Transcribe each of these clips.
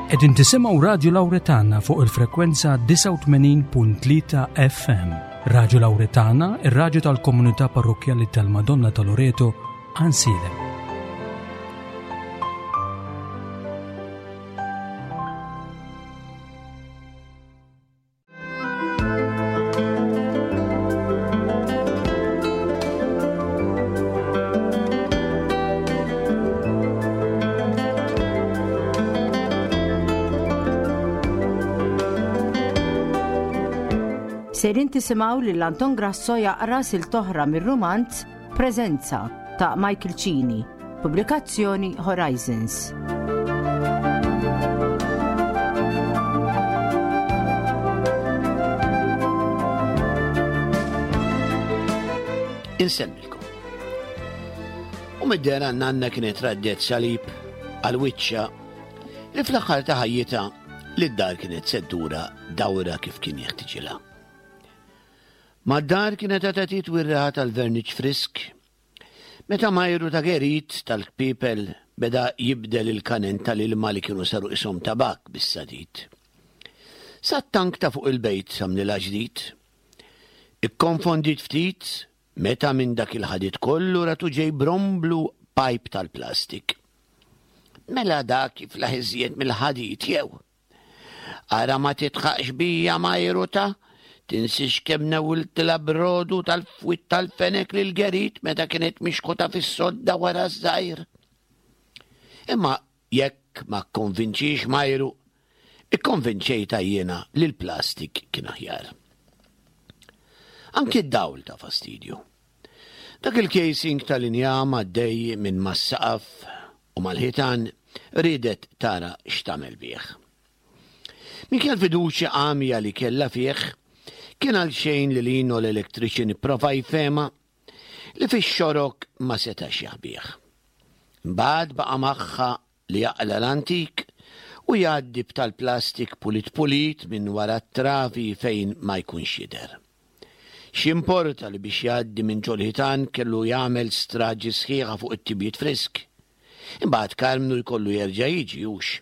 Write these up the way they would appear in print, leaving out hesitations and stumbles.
Qegħdin tisimgħu Radju Lawretana fuq il-frekwenza 89.3 FM. Radju Lawretana, ir-radju tal-komunità parrokkjali tal-Madonna ta' Loreto, Ansilem. Sejrin tisimgħu lil Anton Grasso jaqra silta oħra mir-rumanz Preżenza ta' Michael Cini, pubblikazzjoni Horizons. Insemmilkom. U mid-dera nanna kienet raddet salib għal wiċċa li fl-aħħar ta' ħajjitha li d-dar kienet seddura dawra kif kien jeħtiġilha. Mad-dar kienet għadha titwi r-riħa tal-verniċ frisk meta majru ta' gerit tal-kpiepel beda jibdel il-kanen tal-ilma li kienu saru qishom tabakk bis-sadid. Sat-tank ta' fuq il-bejt għamlilha ġdid. Ikkonfondiet ftit meta minn dak il-ħadid kollu ratu ġej bromblu pajp tal-plastik. Mela dak jiflaħ iżjed mill-ħadid jew? Ara ma titħaqx bija Majru ta' tinsiex kemm newwiltilha brodu tal-fwiet tal-fenek lil Gerit meta kienet mixħuta fis-sodda wara ż-żgħir. Imma jekk ma kkonvinċix Majru, ikkonvinċejtha jiena li l-plastik kien aħjar. Anki d-dawl ta' fastidju. Dak il-casing tal-injam għaddej minn mas-saqaf u mal-ħitan riedet tara x'tagħmel bih. Minkejja l-fiduċja għamja li kellha fih, kien għalxejn li Lino l-electrician ipprova jfehmha li fix-xorok ma setax jaħbih. Imbagħad baqa' magħha li jaqla' l-antik u jgħaddi b'tal-plastik pulit pulit minn wara t-travi fejn ma jkunx jidher. X'jimporta li biex jgħaddi minn ġol-ħitan kellu jagħmel straġi sħiħa fuq it-tibjiet frisk. Imbagħad Karmnu jkollu jerġa' jiġi hux.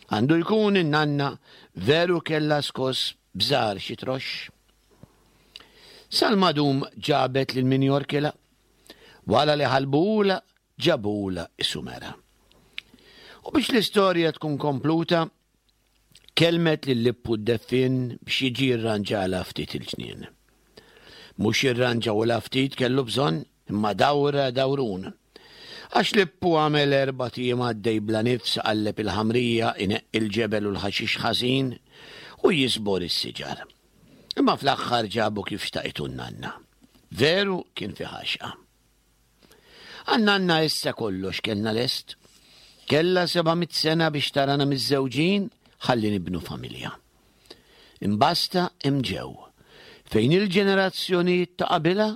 Għandu jkun in-nanna veru kellha skoss bżar xi troxx. Sal-madum ġabet lil min jorkilha. Wara li ħalbuhulha ġabulha is-sumera. U biex l-istorja tkun kompluta, Kellmet lil Lippu d-deffien biex jiġi jirranġalha ftit il-ġnien. Mhux jirranġawlha ftit kellu bżonn, imma dawra dawrun. Għax Lippu għamel erbat ijiem għaddej bla nifs iqalleb il-ħamrija, ineqqi l-ġebel u l-ħaxix ħażin u jiżbor is-siġar. Imma fl-aħħar ġabu kif xtaqitu n-nanna. Veru kien fih għaxqa. Għan-nanna issa kollox kellna lest. Kellha 700 sena biex tarana miżżewġin ħalli nibnu familja. Imbasta hemm ġew, fejn il-ġenerazzjonijiet ta' qabilha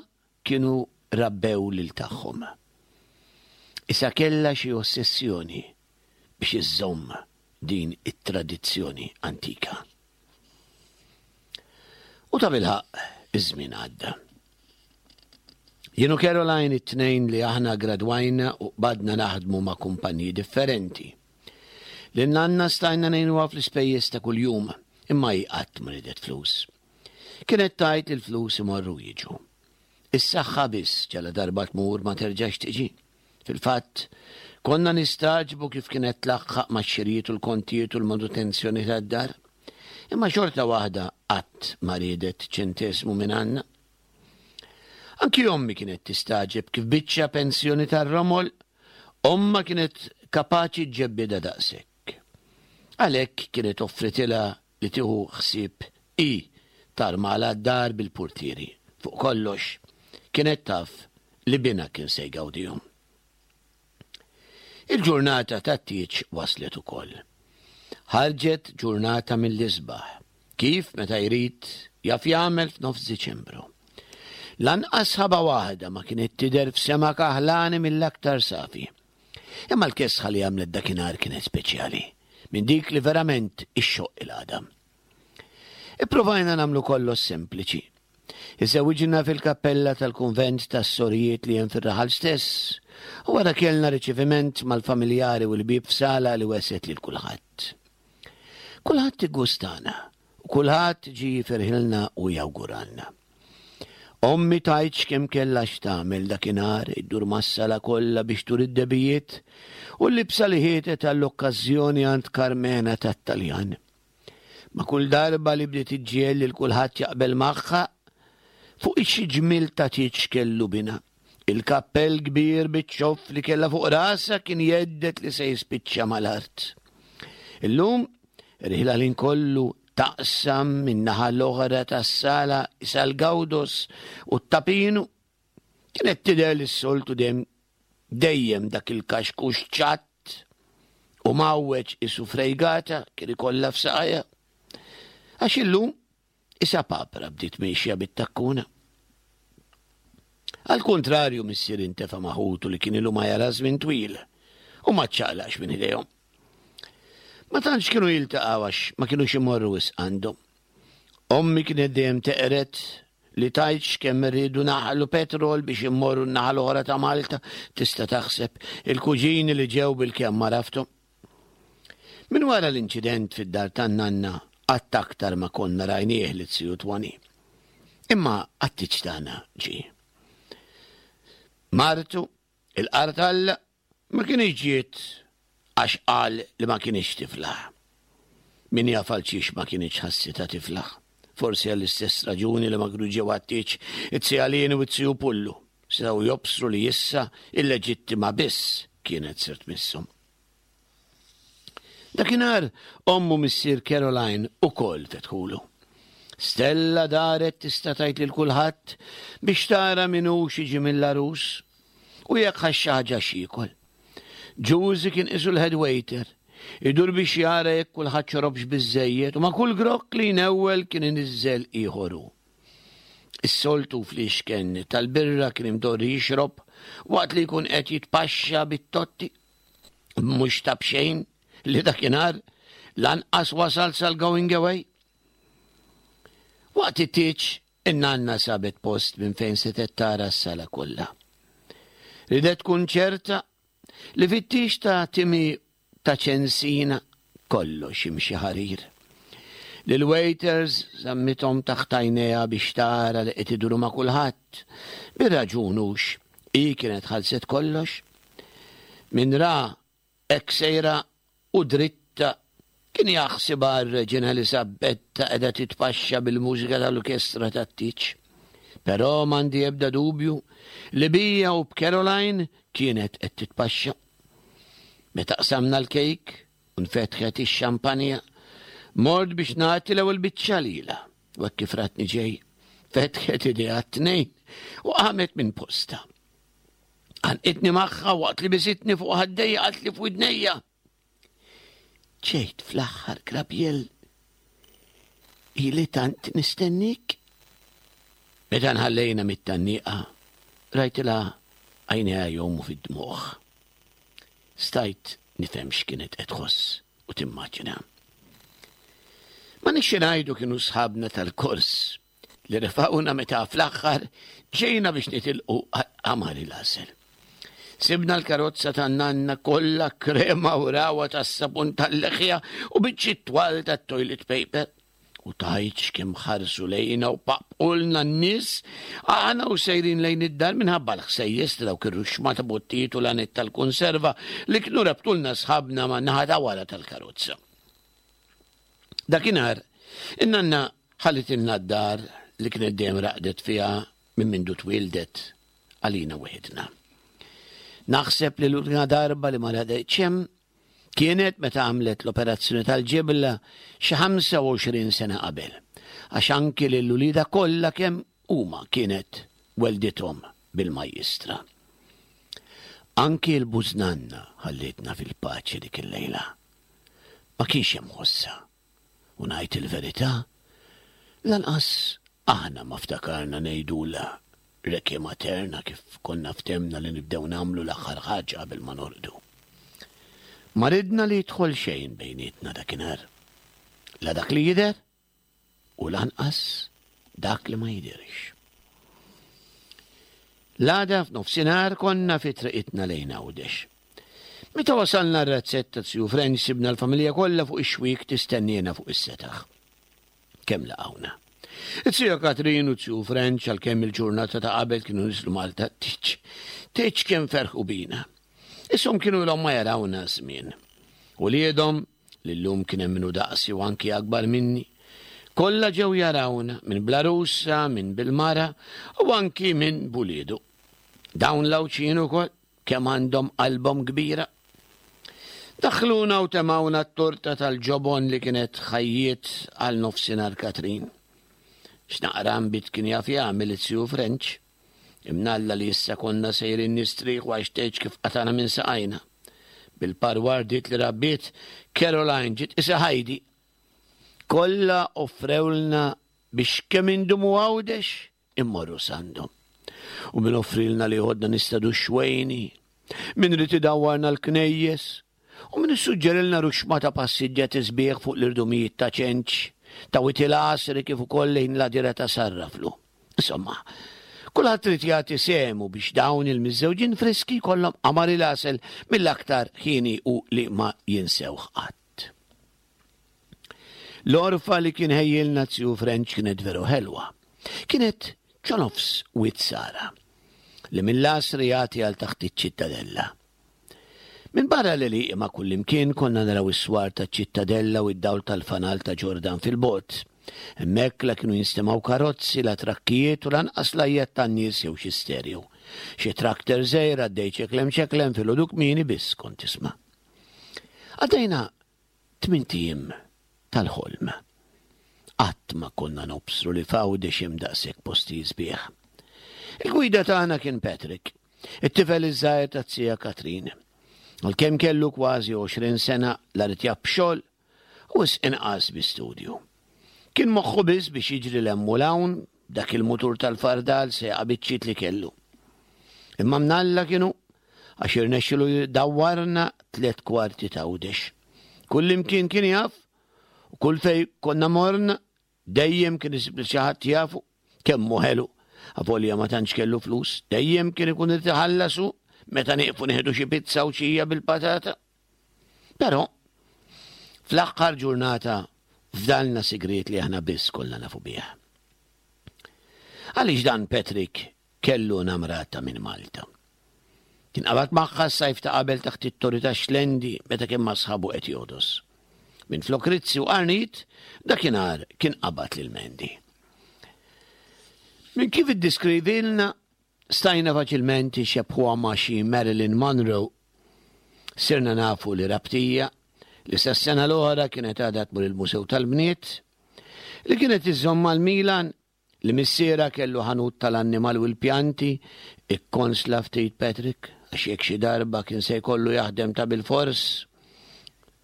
kienu rabbew lil tagħhom. Issa kellha xi ossessjoni biex iżżomm din it-tradizzjoni antika. U tabilħaqq iż-żmien għadda. Jien u Caroline it-tnejn li aħna gradwajna u qbadna naħdmu ma' kumpaniji differenti. Lil nanna stajna ngħinuha fl-ispejjeż ta' kuljum, imma hi qatt ma ridet flus. Kienet tgħid li l-flus imorru u jiġu. Is-saħħa biss ġala darba tmur ma terġax tiġi. Fil-fatt, konna nistagħġbu kif kienet tlaħħaq max-xirijiet u l-kontijiet u l-manutenzjoni tad-dar. Imma xorta waħda qatt ma riedet ċenteżmu minn għandna. Anki ommi kienet tistagħġeb kif biċċa pensjoni tar-romol ommha kienet kapaċi ġġebbidha daqshekk. Għalhekk kienet offritilha li tieħu ħsieb hi tarmalha d-dar bil-purtieri. Fuq kollox, kienet taf li binha kien se jgawdihom. Il-ġurnata tat-tieġ waslet ukoll. Ħarġet ġurnata mill-isbaħ, kif meta jrid jaf jagħmel f'nofs Diċembru. Lanqas sħaba waħda ma kienet tidher f'sema kaħlani mill-aktar safi. Imma l-kesħa li għamlet dakinhar kienet speċjali, minn dik li verament ixxoqq il-għadam. Ippruvajna nagħmlu kollox sempliċi. Iżżewwiġna fil-kappella tal-kunvent tas-sorijiet li hemm fir-raħal stess u wara kellna riċeviment mal-familjari u l-ħbieb f'sala li wesgħet lil kulħadd. Kulħadd iggustana u kulħadd ġie jifirħilna u jawguralna. Ommi tgħidx kemm kellha x'tagħmel dakinhar, iddur mas-sala kollha biex turi d-debijiet u l-libsa li ħietet għall-okkażjoni għand Karmena tat-Taljan. Ma' kull darba li bdiet iġġiegħel lil kulħadd jaqbel magħha, fuq xi ġmiel ta' tieġ kellu binha. Il-kappell kbir biċ-ċoff li kellha fuq rasha kien jhedded li se jispiċċa mal-art. Illum, riħla l-ħin kollu taqsam min-naħa l-oħra tas-sala sal-Gawdos u t-Tapinu, kienet tidher li s-soltu dejjem dejjem dak il-kaxkux ċatt u mgħawweġ qisu frejgata kien ikollha f'saqajha. Għax illum isa papra bdiet miexja bit-takkuna. Għall-kuntrarju missier intefa' ma' ħutu li kien ilu ma jara żmien twil u ma ċċaqlaqx minn idejhom. Ma tantx kienu jiltaqgħu għax ma kinux imorru wisq għandhom. Ommi kienet dejjem teqred li tgħidx kemm irridu naħlu petrol biex immorru n-naħa l-oħra ta' Malta, tista' taħseb il-kuġini li ġew bilkemm għarafthom. Minn wara l-inċident fid-dar tan-nanna qatt aktar ma konna rajnieh lit-ziju Twani. Imma għat-tieġ tagħna ġie. Martu, il-qartalla, ma kinitx ġiet għax qal li ma kinitx tiflaħ. Min jaf għalxiex ma kinitx ħassitha tiflaħ. Forsi għall-istess raġuni li ma kienu ġew għat-tieġ it-zija Lieni u t-ziju Pullu. Setgħu jobsru li issa il-leġittima biss kienet ser tmisshom. Dakinhar omm u missier Caroline ukoll fetħulu. Stella daret tista' tgħid lil kulħadd biex tara min hu xi mill-għarus u jekk ħax xi ħaġa x'jiekol. Ġużi kien qisu l-head waiter, idur biex jara jekk kulħadd xorobx biżżejjed u ma' kull grokk li jnewwel kien iniżżel ieħor hu. Is-soltu fliexken tal-birra kien imdorri jixrob waqt li jkun qed jitpaxxa bit-totti. Mhux ta' b'xejn li dakinhar lanqas wasal sal-going away. Waqt it-tieġ, in-nanna sabet post minn fejn setgħet tara s-sala kollha. Ridet tkun ċerta li fit-tieġ ta' Timmy ta' Ċensina kollox jimxi ħarir. Lil-waiters żammithom taħt għajnejha biex tara li qed iduru ma' kulħadd. Bir-raġun hux, hi kienet ħallset kollox. Min ra hekk sejra u dritta kien jaħsibha r-Reġina Elisabbetta qiegħda titpaxxa bil-mużika tal-orkestra tat-tieġ. Però m'għandi ebda dubju li bija u b'Caroline kienet qed titpaxxa. Meta qsamna l-kejk u nfetħet ix-xampanja, mort biex nagħti l-ewwel biċċa lilha, u hekk kif ratni ġej, fetħet idejha t-tnejn u qamet minn postha. Għanqitni magħha waqt li bisitni fuq ħaddejja qaltli f'widnejja. Ġejt fl-aħħar Grabiel. Ili tant nistennik. Meta nħallejna mit-tanniqa, rajtilha għajnejha jgħumu fid-dmugħ. Stajt nifhem x'kienet qed tħoss u timmaġina. Ma nixxi ngħidu kienu sħabna tal-kors li refgħuna meta fl-aħħar ġejna biex nitilqu għal-qamar il-għasel. Sibna l-karozza tan-nanna kollha krema u rawa tas-sapun tal-leħja u biċċiet twal tat-toilet paper. U tgħidx kemm ħarsu lejna u paqpqulna n-nies aħna u sejrin lejn id-dar minħabba l-ħsejjes ta' dawk ir-ruxxma ta' bottijiet u lanet tal-kunserva li kienu rabtulna sħabna man-naħa ta' wara tal-karozza. Dakinhar, in-nanna ħallitilna d-dar li kienet dejjem raqdet fiha minn mindu twieldet għalina weħidna. Naħseb li l-unika darba li ma raqdetx hemm kienet meta għamlet l-operazzjoni tal-ġibla xi 25 sena qabel, għax anki lil uliedha kollha kemm huma kienet weldithom bil-majjistra. Anki l-bużnanna ħallietna fil-paċi dik il-lejla. Ma kienx hemm ħossha. U ngħid il-verità, lanqas aħna ma ftakarna ngħidulha Requiem Aeterna kif konna ftehmna li nibdew nagħmlu l-aħħar ħaġa qabel ma norqdu. Ma ridna li jidħol xejn bejnietna dakinhar. La dak li jidher u lanqas dak li ma jidhirx. L-għada f'nofsinhar konna fi triqitna lejn Għawdex. Meta wasalna r-razzett ta' Zju French sibna l-familja kollha fuq ix-xwiek tistenniena fuq is-setaħ. Kemm laqgħuna. It-Zija Katrin u Zju French għalkemm il-ġurnata ta' qabel kienu niżlu Malta tiċ. Tiċ kemm ferħu bina. Ishom kienu ilhom ma jarawna żmien. Uliedhom, li llum kien hemm minnu daqsi u anki akbar minni, kollha ġew jarawna minn bl-għarusa, minn bil-mara u anki minn b'uliedu. Dawn l-Għawdxin ukoll kemm għandhom qalbhom kbira. Daħħluna u temgħuna t-torta tal-ġobon li kienet ħajjiet għal nofsinhar Katrin. X'naqra nbid kien jaf jagħmel it-Sju French. Imnalla li issa konna sejrin nistrieħu għax tgħidx kif qatagħna minn saqajna. Bil-parwardiet li rabbiet, Caroline ġiet qisha Heidi. Kollha offrewlna biex kemm indumu Għawdex immorru s'għandhom. U min offrilna li joħodna nistadu x-xwejni, min ried idawwarna l-knejjes, u min issuġġerilna ruxxma ta' passiġġati sbieħ fuq l-irdumijiet ta' Ċenċ, ta' Wied il-Għasri kif ukoll lejn l-għadira ta' Sarraflu. Insomma, kulħadd ried jagħti sehmu biex dawn il-miżżewġin friski jkollhom qamar il-għasel mill-aktar ħieni u li ma jinsewh qatt. L-għorfa li kien ħejjilna Zju French kienet veru ħelwa. Kienet ġo nofs Wied Sara, li mill-għasri jagħti għal taħt iċ-Ċittadella. Minn barra l-għelieqi ma' kullimkien konna naraw is-swar taċ-Ċittadella u d-dawl tal-fanal ta' Ġordan fil-bogħod. Hemmhekk la kienu jinstemgħu karozzi, la trakkijiet u lanqas l-għajjat tan-nies jew xi stereo. Xi trakter żgħir għaddej ċeklem ċeklem filgħodu kmieni biss kont tisma'. Għaddejna Tmint ijiem tal-ħolm. Qatt ma konna nobsru li f'Għawdex hemm daqshekk postijiet sbieħ. Il-gwida tagħna kien Patrick, it-tifel iż-żgħir taz-zija Katrin. Għalkemm kellu kważi 20 sena la ried jaf b'xogħol u wisq inqas bi studju. Kien moħħu biss biex jiġri 'l hemm u 'l hawn b'dak il-mutur tal-fardal sejqa biċċiet li kellu. Imma mnalla kien hu għax irnexxilu jdawwarna tlett kwarti t'Għawdex. Kullimkien kien jaf u kull fejn konna morna dejjem kien isib lil xi ħadd jafu kemm hu ħelu. Avolja ma tantx kellu flus, dejjem kien ikun irid iħallas hu meta nieqfu nieħdu xi pizza u xija bil-patata. Però, fl-aħħar ġurnata fdalna sigriet li aħna biss konna nafu bih. Għaliex dan Patrick kellu namrata minn Malta. Kien qabad magħha s-sajf ta' qabel taħt it-torri tax-Xlendi meta kien ma' sħabu qed jogħdos. Minflok rizzi u qarnit, dakinhar kien qabad lil Mandy. Minn kif iddeskrivilna, stajna faċilment inxebbħuha ma' xi Marilyn Monroe. Sirna nafu li Rabtija, li sas-sena l-oħra kienet għadha tmur il-Musew tal-Bniet, li kienet iżżomm mal-Milan, Li missierha kellu ħanut tal-annimal u l-pjanti, ikkonsla ftit Patrick, għax jekk xi darba kien se jkollu jaħdem ta' bilfors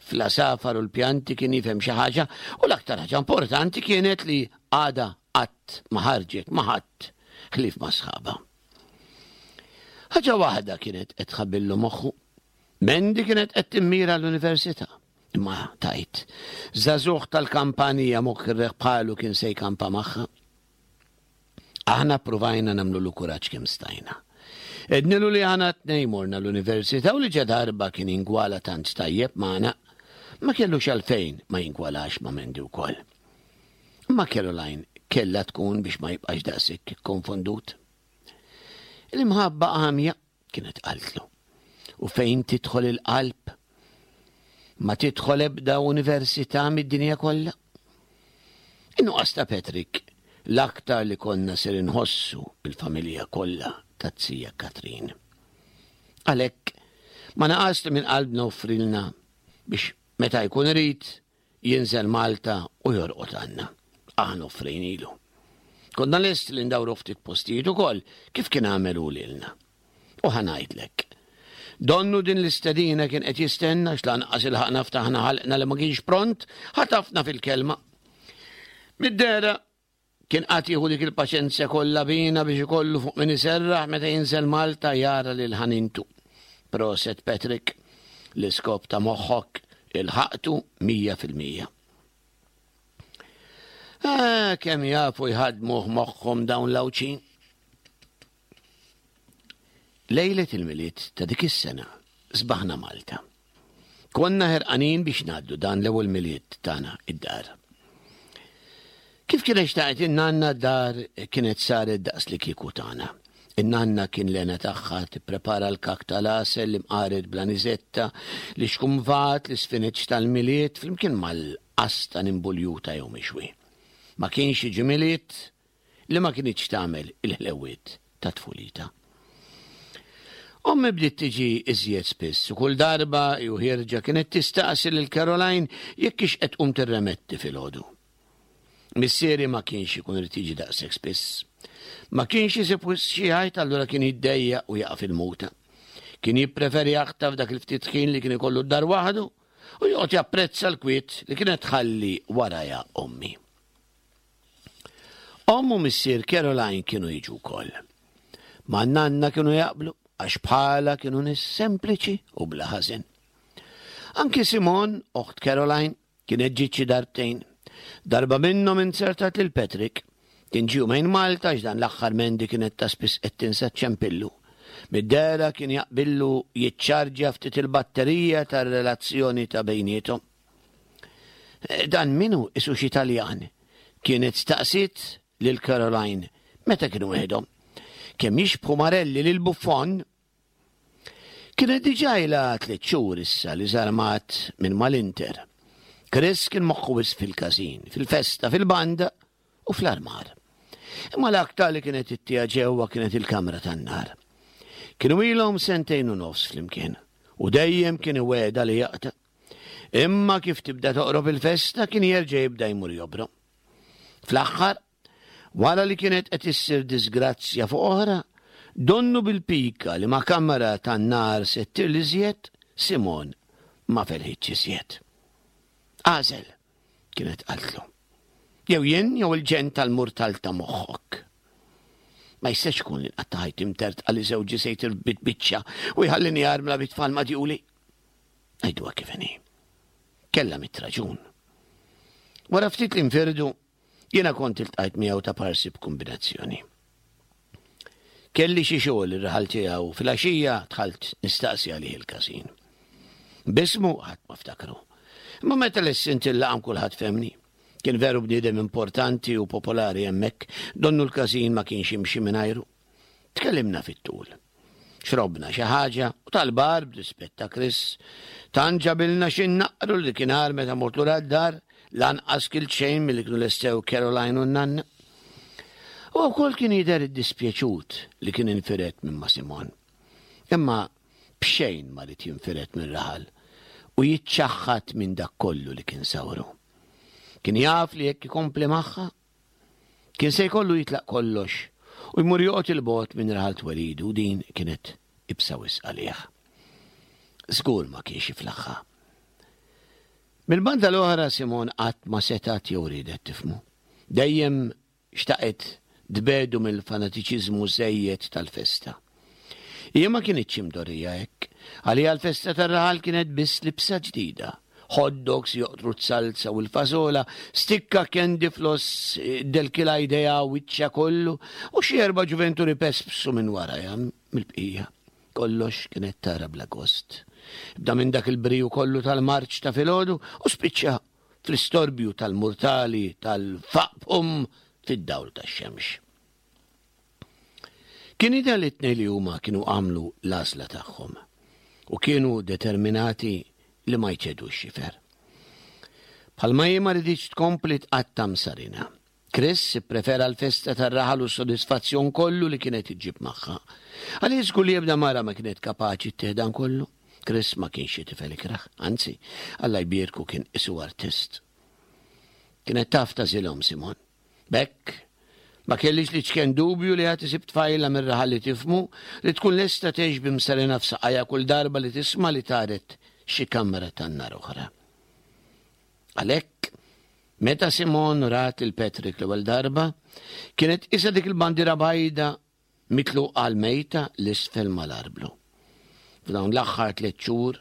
fl-għasafar u l-pjanti kien jifhem xi ħaġa u l-aktar ħaġa importanti kienet li għadha qatt ma ħarġet ma' ħadd ħlief ma' sħabha. Ħaġa waħda kienet qed tħabbillu moħħu. Mandy kienet qed timmira l-università. Imma tgħid, żagħżugħ tal-kampanija moħħ bħalu kien se jkampa magħha? Aħna ppruvajna nagħmlulu kuraġġ kemm stajna. Għednilu li aħna t-tnejn morna l-università u li ġadarba kien jingwala tant tajjeb magħna, ma kellux għalfejn ma jingwalax ma' Mandy wkoll. Imma Caroline kellha tkun biex ma jibqax daqshekk ikkonfondut. L-imħabba għamja kienet qaltlu. U fejn tidħol il-qalb? Ma tidħol ebda università mid-dinja kollha. In-nuqqas ta' Patrick l-aktar li konna ser inħossu il-familja kollha taz-zija Katrin. Għalhekk ma naqas li minn qalbna offrilna biex meta jkun irid jinżel Malta u jorqod għandna. Aħna offrejnilu. Konna lesti li ndawru ftit postijiet ukoll kif kien għamel hu lilna. U ħa ngħidlek. Donnu din l-istedina kien qed jistenna għax lanqas ilħaqna ftaħna ħalqna li ma kienx pront, ħatafna fil-kelma. Mid-dehra Kien qagħad jieħu dik il-paċenzja kollha bina biex ikollu fuq min iserraħ meta jinżel Malta jara lil ħanintu. Proset Patrick, l-iskop ta' moħħok ilħaqtu 100%. Ah, kemm jafu jħaddmuh moħħhom dawn l-Għawdxin. Lejlet il-Milied ta' dik is-sena. sbaħna Malta. Konna ħerqanin biex ngħaddu dan l-ewwel Milied tagħna id-dar. Kif kienet xtaqet in-nanna d-dar kienet saret daqs li kieku tagħna. In-nanna kien l-hena tagħha tipprepara l-kak tal-għasel, l-imqaret bl-aniżetta, l-ixkumvat, l-isfineċ tal-Milied flimkien mal-qastan imbuljuta jew mixwi. Ma kienx jiġi Milied li ma kinitx tagħmel il-ħlewwiet ta' tfulitha. Ommi bdiet tiġi iżjed spiss u kull darba hi u ħierġa kienet tistaqsi lil Caroline jekk hix qed tqum tirremetti filgħodu. Missieri ma kienx ikun irid jiġi daqshekk spiss. Ma kienx isib wisq xi jgħid allura kien jiddejjaq u jaqa' fil-muta. Kien jippreferi jaħtaf dak il-ftit ħin li kien ikollu d-dar waħdu u joqgħod japprezza l-kwiet li kienet tħalli warajha ommi. Omm u missier Caroline kienu jiġu wkoll. Ma' nanna kienu jaqblu għax bħala kienu nies sempliċi u bla ħażen. Anki Simon, oħt Caroline, kienet ġiet xi darbtejn. Darba minnhom inzertat lil Patrick. Kien ġie jumejn Malta għax dan l-aħħar Mandy kienet ta' spiss qed tinsa ċċempillu. Mid-dehra kien jaqbillu jiċċarġja ftit il-batterija tar-relazzjoni ta' bejniethom. Eh, dan minu isu xi Taljan? Kienet staqsiet lil Caroline meta kienu weħidhom. Kemm jixbħu Marelli lil Buffon? Kienet diġà ilha tliet xhur issa li żarmat minn mal-Inter. Chris kien moħħu wisq fil-każin, fil-festa, fil-banda u fl-armar. Imma l-aktar li kienet ittija ġewwa kienet il-kamra tan-nar. Kienu ilhom sentejn u nofs flimkien u dejjem kien iwegħda li jaqta'. Imma kif tibda toqrob il-festa kien jerġa' jibda jmur jobrom. Fl-aħħar, wara li kienet qed issir disgrazzja fuq oħra, donnu bil-pika li ma' kamra tan-nar se ttir l-iżjed, Simon ma felħitx iżjed. Għażel, kienet qaltlu. Jew jien jew il-ġenn tal-murtal ta' moħħok. Ma jistax ikun li nqatta' ħajti mtertqa li żewġi se jtir bitbiċċa u jħallini armla bit-tfal madjuli. Ngħiduha kif inhi. Kellha mit raġun. Wara ftit li nfirdu, jiena kont iltqajt miegħu ta' parsi b'kombinazzjoni. Kelli xi xogħol ir-raħal tiegħu fil-għaxija dħalt nistaqsi għalih il-każin. Bismu ħadd ma ftakru. Imma meta lessint il-laqam kulħadd femni. Kien veru bniedem importanti u popolari hemmhekk, donnu l-każin ma kienx jimxi mingħajru. Tkellimna fit-tul. Xrobna xi ħaġa u tal-bar b'rispett ta' Chris. Tant ġabilna xi nnaqqru li dakinhar meta mort lura d-dar lanqas kilt xejn milli kienu lestew Caroline u n-nanna. Huwa wkoll kien jidher iddispjaċut li kien infired minn ma' Simon. Imma b'xejn ma ried jinfired mir-raħal u jiċċaħħad minn dak kollu li kien sawru. Kien jaf li jekk ikompli magħha, Kien se jkollu jitlaq kollox u jmur joqgħod 'il bogħod minn raħal twelidu u din kienet ibsa wisq għalih. Żgur ma kienx jiflaħha. Mill-banda l-oħra Simon qatt ma setgħet jew riedet tifhmu. Dejjem xtaqet tbegħdu mill-fanatiċiżmu żejjed tal-festa. Hija ma kinitx imdorrija hekk. Għaliha l-festa tar-raħal kienet biss libsa ġdida. Hot dogs joqtru z-zalza u l-fażola, stikka candy floss delkilha jdejha u wiċċha kollu, u xi erba' ġuventuri pespsu minn warajha mill-bqija. Kollox kienet tara bla gost. Bda minn dak il-briju kollu tal-marċ ta' filgħodu u spiċċa fl-istorbju tal-murtali tal-faqfum fid-dawl tax-xemx. Kien jidher li t-tnejn li huma kienu għamlu l-għażla tagħhom u kienu determinati li ma jċedux xifer. Bħalma hi ma riditx tkompli tqatta' msarina. Chris ipprefera l-festa tar-raħal u s-sodisfazzjon kollu li kienet iġġib magħha. Għalih żgur li ebda mara ma kienet kapaċi ttih dan kollu. Chris ma kienx xi tifel ikrah, anzi, Alla jbierku kien qisu artist. Kienet taf tagħżilhom Simon. B'hekk, ma kellix l-iċken dubju li għad isib tfajla mir-raħal li tifhmu, li tkun lesta tgħix b'imsarina f'saqajha kull darba li tisma' li taret xi kamra tan-nar oħra. Għalhekk, meta Simone rat lil Patrick l-ewwel darba, kienet qisha dik il-bandiera bajda Mitluqa l-mejta 'l isfel mal-arblu. F'dawn l-aħħar tliet xhur,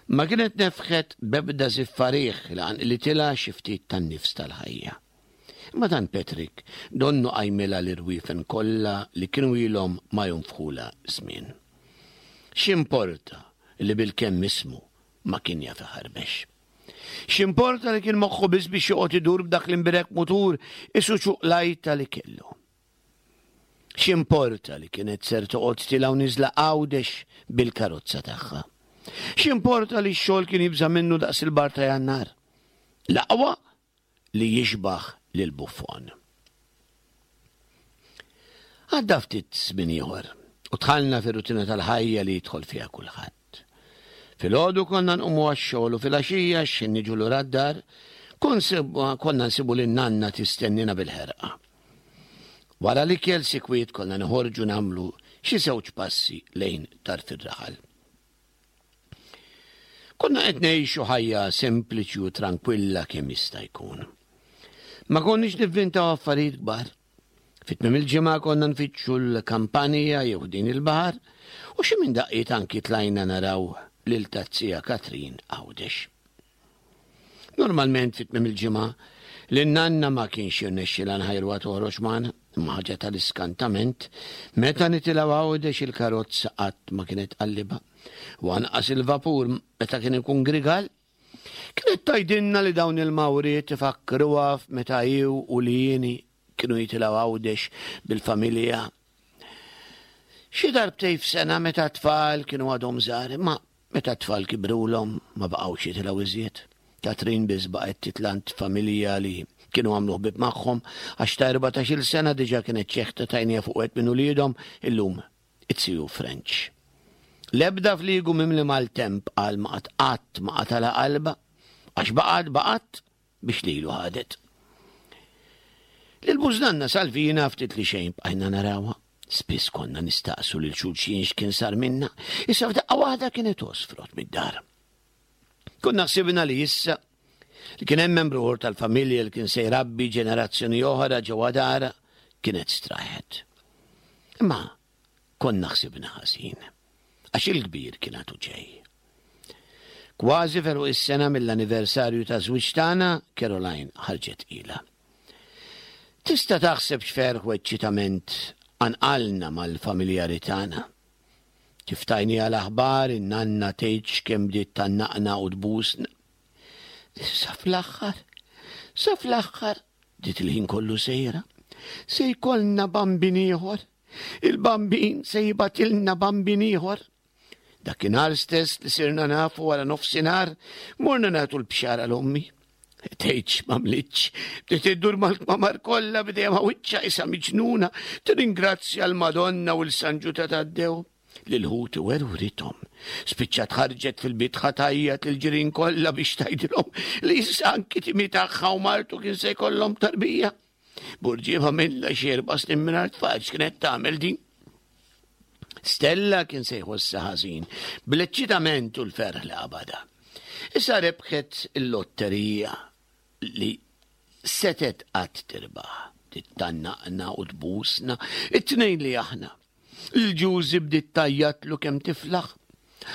ma kienet nefħet b'ebda żiffa riħ li qanqlitilha xi ftit tan-nifs tal-ħajja. Imma dan Patrick donnu qajmilha l-irwiefen kollha li kienu ilhom ma jonfħulha żmien. X'importa? li bilkemm ismu ma kien jaf iħarbex. X'importa li kien moħħu biss biex joqgħod idur b'dak l-imbirek mutur isu ċuqlajta li kellu. X'importa li kienet ser toqgħod tilgħu niżla Għawdex bil-karozza tagħha. X'importa li x-xogħol kien jibża' minnu daqs il-bar ta' Jannar. L-aqwa li jixbah lil Buffon. Għadda ftit żmien ieħor u dħalna fir-rutina tal-ħajja li jidħol fiha kulħadd. Filgħodu konna nqumu għax-xogħol u filgħaxija x'ħin niġu lura d-dar konna nsibu lin nanna tistennina bil-ħerqa. Wara l-ikel sikwit konna noħorġu nagħmlu xi żewġ passi lejn tarf ir-raħal. Konna qed ngħixu ħajja sempliċi u trankwilla kemm jista' jkun. Ma konniex nivvintaw affarijiet kbar. Fit-tmiem il-ġimgħa konna nfittxu l-kampanja jew din il-baħar u xi minn daqqiet anki tlajna naraw lil tazzija Katrin Għawdex. Normalment fi tmiem il-ġimgħa, lin-nanna ma kienx jirnexxilha nħajruha toħroġ magħna, imma ħaġa tal-iskantament, meta nitilgħu Għawdex il-karozza qatt ma kienet tqallibha, u anqas il-vapur meta kien ikun grigal. Kienet tgħidilna li dawn il-mawriet ifakkruha f'meta hi u lieni kienu jitilgħu Għawdex bil-familja. Xi darbtejn f'sena meta t-tfal kienu għadhom żgħar, imma Meta t-tfal kibrulhom ma baqgħux jitilgħu iżjed. Katrin biss baqgħet titla' għand familja li kienu għamlu ħbieb magħhom għax ta' 14-il sena diġà kienet xeħtet għajnejha fuq wieħed minn uliedhom, illum it-Siju French. L-ebda fliegu mimli maltemp qal ma qatt qatt ma qatalha qalbha għax baqgħet baqgħet biex lilu ħadet. Lil bużnanna Salvina ftit li xejn bqajna narawha. Spiss konna nistaqsu lil xulxin x'kien sar minna, issa f'daqqa waħda kienet osfrot mid-dar. Konna ħsibna li issa li kien hemm membru ieħor tal-familja li kien se jrabbi ġenerazzjoni oħra ġewwa dara kienet straħet. Imma konna ħsibna ħażin, għax il-kbir kien għadu ġej. Kważi feru is-sena mill-anniversarju ta' żwieġ tagħna, Caroline ħarġet ilha. Tista' taħseb x'ferħ u eċċitament qanqalna mal-familjari tagħna. Kif tajniha l-aħbar, in-nanna tgħidx kemm bdiet tgħannaqna u tbusna. Sa fl-aħħar, sa fl-aħħar, bdiet il-ħin kollu sejra, se jkollna bambin ieħor. Il-bambin se jibgħatilna bambin ieħor. Dakinhar stess li sirna nafu wara nofsinhar, morna nagħtu l-bxara l-ommi. Tgħidx m'għamlitx, bdiet iddur mal-kmamar kollha bidejha ma' wiċċha isa miġnuna, tirringrazzja l-Madonna u l-San Ġuda Taddew. Lil ħuti werwrithom. Spiċċat ħarġet fil-bitħa tgħajjat lill-ġirien kollha biex tgħidilhom li issa anki timi tagħha u martu kien se jkollhom tarbija. Burġieba minnha xi erba' snin mingħajr tfal x'kienet tagħmel din? Stella kien se jħossha ħażin bl-eċċitament u l-ferħ li qabadha. Issa rebħet il-lotterija li setet qatt tirbaħ. Tittannaqna u tbusna, it-tnejn li aħna. Il-ġużi bdiet tgħajjatlu kemm tiflaħ.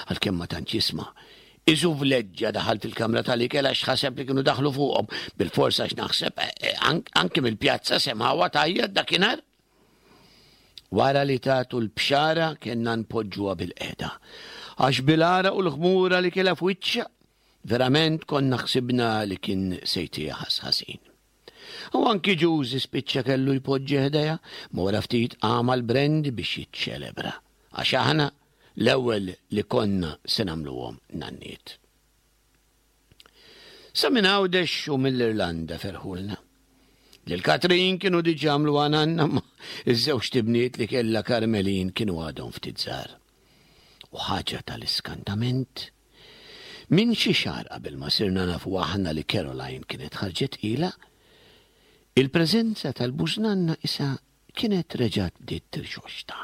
Għalkemm ma tantx jisma'. Isu vleġġa daħal fil-kamra tal-ikel għax ħaseb li kienu daħlu fuqhom. Bil-fors għax naħseb eh, eh, anke mill-pjazza semgħuha tgħajjat dakinhar. Wara li tatu l-bxara kellna npoġġuha bil-qeda. Għax bil-għaraq u l-ħmura li kellha f'wiċċha, verament konna ħsibna li kien se jtiha ħass ħażin. U anki Ġużi spiċċa kellu jpoġġi ħdejha, ma wara ftit qam għall-brandy biex jiċċelebra, għax aħna l-ewwel li konna se nagħmluhom nanniet. Sa minn Għawdex u mill-Irlanda ferħulna. Lil Katrin kienu diġà għamluha nanna ma iż-żewġt ibniet li kellha Karmelin kienu għadhom ftit żgħar. U ħaġa tal-iskantament, Minn xi xahar qabel ma sirna nafu aħna li Caroline kienet ħarġet tqila, il-preżenza tal-bużnanna isa kienet reġgħet bdiet tirxoxta.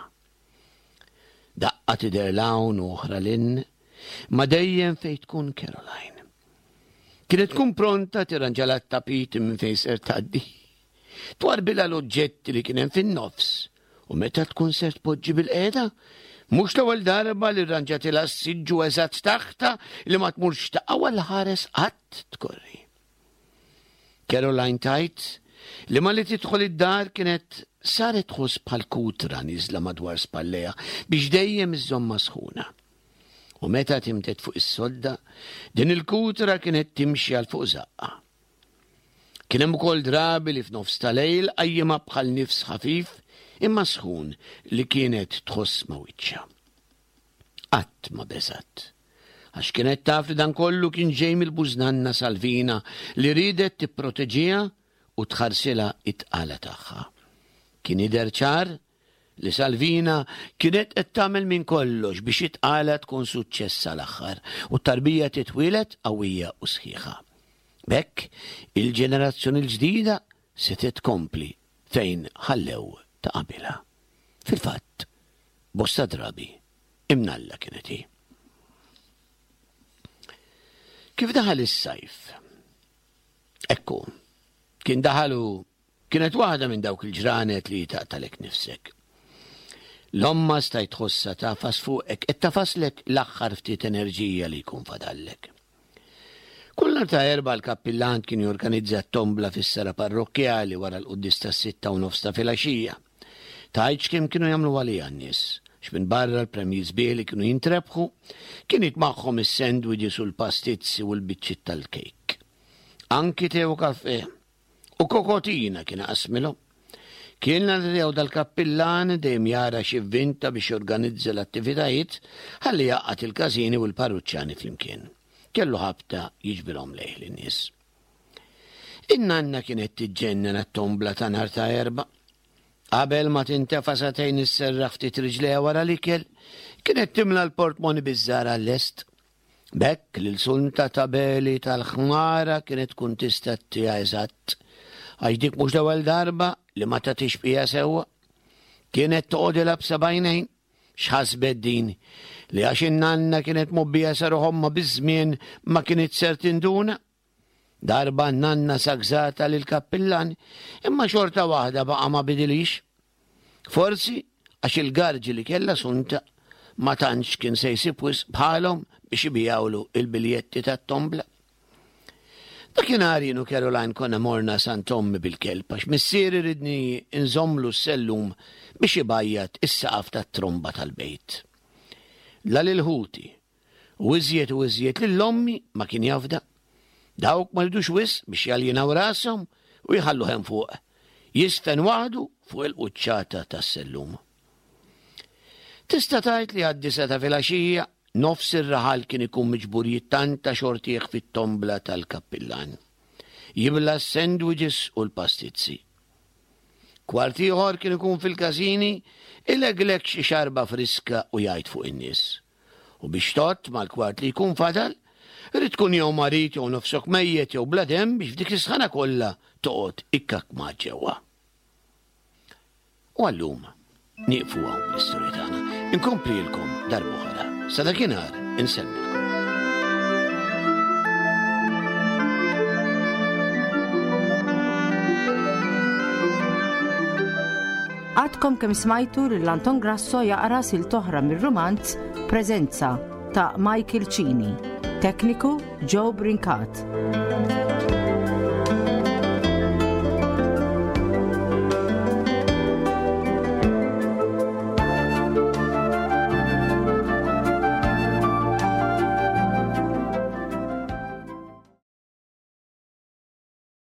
Daqqa tidher 'l hawn u oħra 'l hinn, ma dejjem fejn tkun Caroline. Kienet tkun pronta tirranġalha t-tapit minn fejn ser tgħaddi. Twarbilha l-oġġetti li kien hemm fin-nofs u meta tkun ser tpoġġi bilqiegħda, mhux l-ewwel darba li rranġatilha s-siġġu eżatt taħtha li ma tmurx taqa' għal ħares qatt tkorri. Caroline tgħid li malli tidħol id-dar kienet saret tħoss bħal kutra nieżla madwar spallejha biex dejjem iżżommha sħuna. U meta timted fuq is-sodda, din il-kutra kienet timxi għal fuq żaqqa. Kien hemm ukoll drabi li f'nofs ta' lejl qajjimha bħal nifs ħafif imma sħun li kienet tħoss ma' wiċċha. Qatt ma beżgħet. Għax kienet taf li dan kollu kien ġej mill-bużnanna Salvina li riedet tipproteġiha u tħarsilha it-tqala tagħha. Kien jidher ċar li Salvina kienet qed tagħmel minn kollox biex it-tqala tkun suċċess sal-aħħar u t-tarbija titwieled qawwija u sħiħa. B'hekk, il-ġenerazzjoni l-ġdida setgħet tkompli fejn ħallew ta' qabilha. Fil-fatt, bosta drabi, imnalla kienet hi. Kif daħal is-sajf? Ekku, kien daħal u kienet waħda minn dawk il-ġranet li taqtalek nifsek. L-omma stajt tħossha tagħfas fuqek qed tafaslek l-aħħar ftit enerġija li jkun fadallek. Kull nhar ta' Erbgħa l-kappillan kien jorganizza t-tombla fis-sala parrokkjali wara l-quddies tas-6:30 ta' filgħaxija. Tgħidx kemm kienu jagħmlu għaliha n-nies, għax minbarra l-premji sbieħ li kienu jintrebħu, kien jitmagħhom is-sandwiches u l-pastizzi u l-biċċiet tal-kejk. Anki te u kafè. U kokotina kien iqassmilhom. Kien l-għan dal-kappillan dejjem jara x'ivvinta biex jorganizza l-attivitajiet ħalli jgħaqqad il-każini u l-parruċċani flimkien. Kellu ħabta jiġbirhom lejh lin-nies. In-nanna kienet tiġġennen għat-tombla ta' nhar ta' Erbgħa. Qabel ma tintefa' sagħtejn isserraħ ftit riġlejha wara l-ikel, kienet timla l-portmoni biż-żgħar għal-lest. B'hekk lil Sunta ta' Beli tal-ħmara kienet tkun tista' ttiha eżatt, għax dik mhux l-ewwel darba li ma tagħtix bqija sewwa. Kienet toqgħodilha b'sebgħinejn. X'ħasbet din? Li għax in-nanna kienet mgħobbija sa ruħ ommha biż-żmien ma kinitx ser tinduna? Darba n-nanna sagżata lill-kappillan, imma xorta waħda baqa' ma bidilhiex. Forsi għax il-garġi li kellha Sunta ma tantx kien se jsib wisq bħalhom biex ibigħulu il-biljetti tat-tombla. Dakinhar jien u Caroline konna morna Sant Ommi bil-kelb għax missieri ridni nżommlu s-sellum biex ibajjad is-saqaf tat-tromba tal-bejt. La lil ħuti, U iżjed u iżjed lil ommi ma kien jafda. Dawk ma ridux wisq biex jaljinaw rashom u jħalluh hemm fuq, jiżfen waħdu fuq il-quċċata tas-sellum. Tista' tgħid li għad-disgħa ta' filgħaxija nofs ir-raħal kien ikun miġbur jittanta xortih fit-tombla tal-kappillan. Jibla' s-sandwiches u l-pastizzi. Kwart ieħor kien ikun fil-każini ilegleg xi xarba friska u jgħid fuq in-nies. U biex tgħodd mal-kwart li jkun fadal, irid tkun jew marid jew nofsok mejjet jew bla demm biex f'dik is-sħana kollha toqgħod ikkakkmat ġewwa. U għallum nieqfu hawn bl-istorja tagħna. Inkomplilkom darb'oħra. Sa dakinhar insellmilkom. Għadkom kemm smajtu lil Anton Grasso jaqra silt oħra mir-rumanz Preżenza ta' Michael Cini. Tekniku Joe Brincat.